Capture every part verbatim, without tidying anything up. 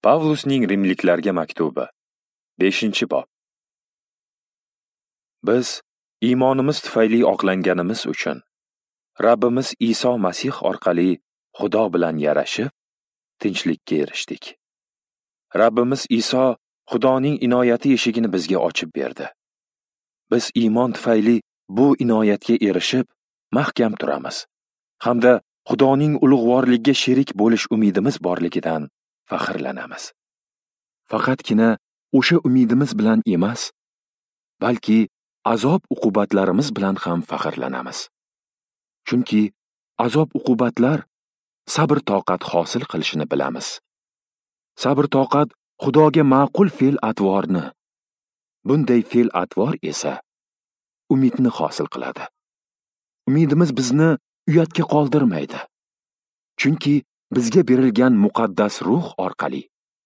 Pavlusning Rimliklarga maktubi, beshinchi bob. Biz iymonimiz tufayli oqlanganimiz uchun Rabbimiz Iso Masih orqali Xudo bilan yarashib, tinchlikka erishdik. Rabbimiz Iso Xudoning inoyati eshigini bizga ochib berdi. Biz iymon tufayli bu inoyatga erishib, mahkam turamiz hamda Xudoning ulug'vorligiga sherik bo'lish umidimiz borligidan faxrlanamiz. Faqatgina o'sha umidimiz bilan emas, balki azob-uqubatlarimiz bilan ham faxrlanamiz. Chunki azob-uqubatlar sabr-toqat hosil qilishini bilamiz. Sabr-toqat Xudoga ma'qul fe'l-atvorni, bunday fe'l-atvor esa umidni hosil qiladi. Umidimiz bizni uyatga qoldirmaydi. Chunki bizga berilgan muqaddas ruh orqali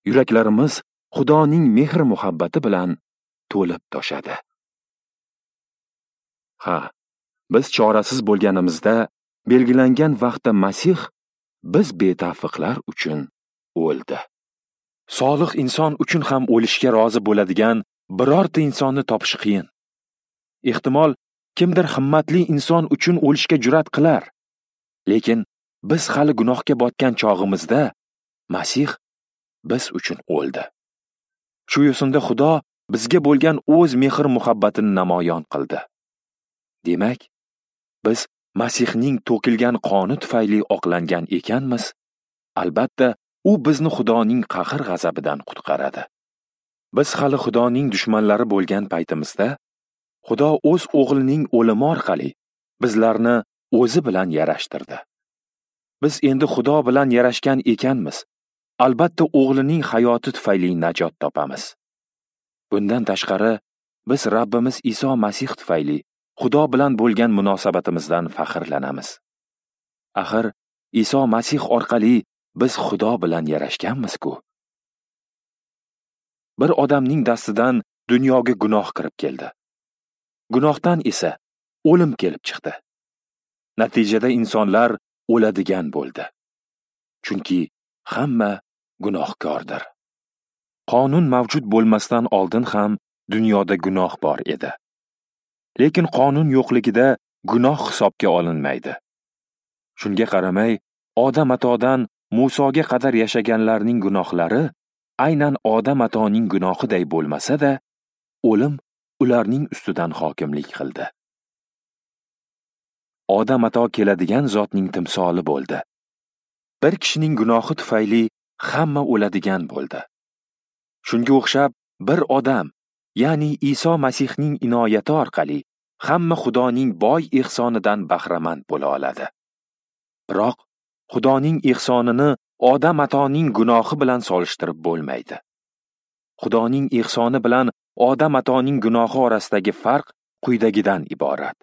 yuraklarimiz Xudoning mehr-muhabbati bilan to'lib toshadi. Ha, biz chorasiz bo'lganimizda belgilangan vaqtda Masih biz betavfiqlar uchun o'ldi. Solih inson uchun ham o'lishga rozi bo'ladigan birorta insonni topish qiyin. Ehtimol kimdir himmatli inson uchun o'lishga jur'at qilar. Lekin biz hali gunohga botgan chog'imizda Masih biz uchun o'ldi. Shu yo'sinda Xudo bizga bo'lgan o'z mehr-muhabbatini namoyon qildi. Demak, biz Masihning to'kilgan qoni tufayli oqlangan ekanmiz, albatta u bizni Xudoning qahr-g'azabidan qutqaradi. Biz hali Xudoning dushmanlari bo'lgan paytimizda Xudo o'z o'g'lining o'limi orqali bizlarni o'zi bilan yarashtirdi. Biz endi Xudo bilan yarashgan ekanmiz, albatta o'g'lining hayoti tufayli najot topamiz. Bundan tashqari, biz Rabbimiz Iso Masih tufayli Xudo bilan bo'lgan munosabatimizdan faxrlanamiz. Axir Iso Masih orqali biz Xudo bilan yarashganmiz-ku. Bir odamning dastidan dunyoga gunoh kirib keldi. Gunohdan esa o'lim kelib chiqdi. Natijada insonlar o'ladigan bo'ldi. Chunki hamma gunohkordir. Qonun mavjud bo'lmasdan oldin ham dunyoda gunoh bor edi. Lekin qonun yo'qligida gunoh hisobga olinmaydi. Shunga qaramay, Odam atodan Musoga qadar yashaganlarning gunohlari aynan Odam atoning gunohiday bo'lmasa-da, o'lim ularning ustidan hokimlik qildi. Odam ato keladigan zotning timsoli bo'ldi. Bir kishining gunohi tufayli hamma o'ladigan bo'ldi. Shunga o'xshab bir odam, ya'ni Iso Masihning inoyati orqali hamma Xudoning boy ehsonidan bahramand bo'la oladi. Biroq Xudoning ehsonini Odam atoning gunohi bilan solishtirib bo'lmaydi. Xudoning ehsoni bilan Odam atoning gunohi orasidagi farq quyidagidan iborat.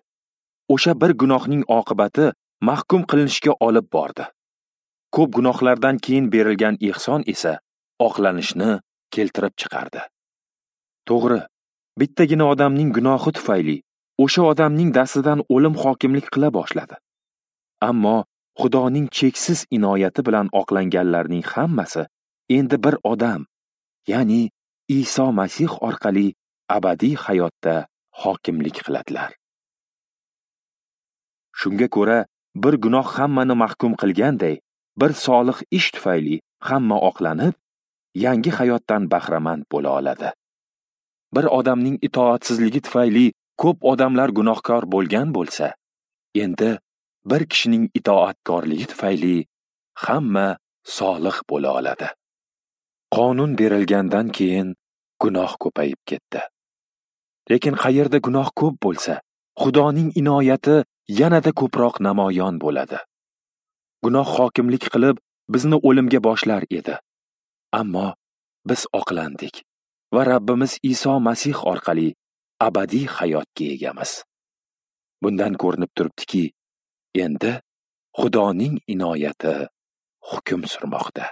O'sha bir gunohning oqibati mahkum qilinishga olib bordi. Ko'p gunohlardan keyin berilgan ehson esa oqlanishni keltirib chiqardi. To'g'ri, bittagina odamning gunohi tufayli o'sha odamning dastidan o'lim hokimlik qila boshladi. Ammo Xudoning cheksiz inoyati bilan oqlanganlarning hammasi endi bir odam, ya'ni Iso Masih orqali abadiy hayotda hokimlik qiladilar. Shunga ko'ra, bir gunoh hammani mahkum qilganday, bir solih ish tufayli hamma oqlanib, yangi hayotdan bahramand bo'la oladi. Bir odamning itoatsizligi tufayli ko'p odamlar gunohkor bo'lgan bo'lsa, endi bir kishining itoatkorligi tufayli hamma solih bo'la oladi. Qonun berilgandan keyin gunoh ko'payib ketdi. Lekin qayerda gunoh ko'p bo'lsa, Xudoning inoyati yanada ko'proq namoyon bo'ladi. Gunoh hokimlik qilib, bizni o'limga boshlar edi. Ammo biz oqlandik va Rabbimiz Iso Masih orqali abadiy hayotga egamiz. Bundan ko'rinib turibdiki, endi Xudoning inoyati hukm surmoqda.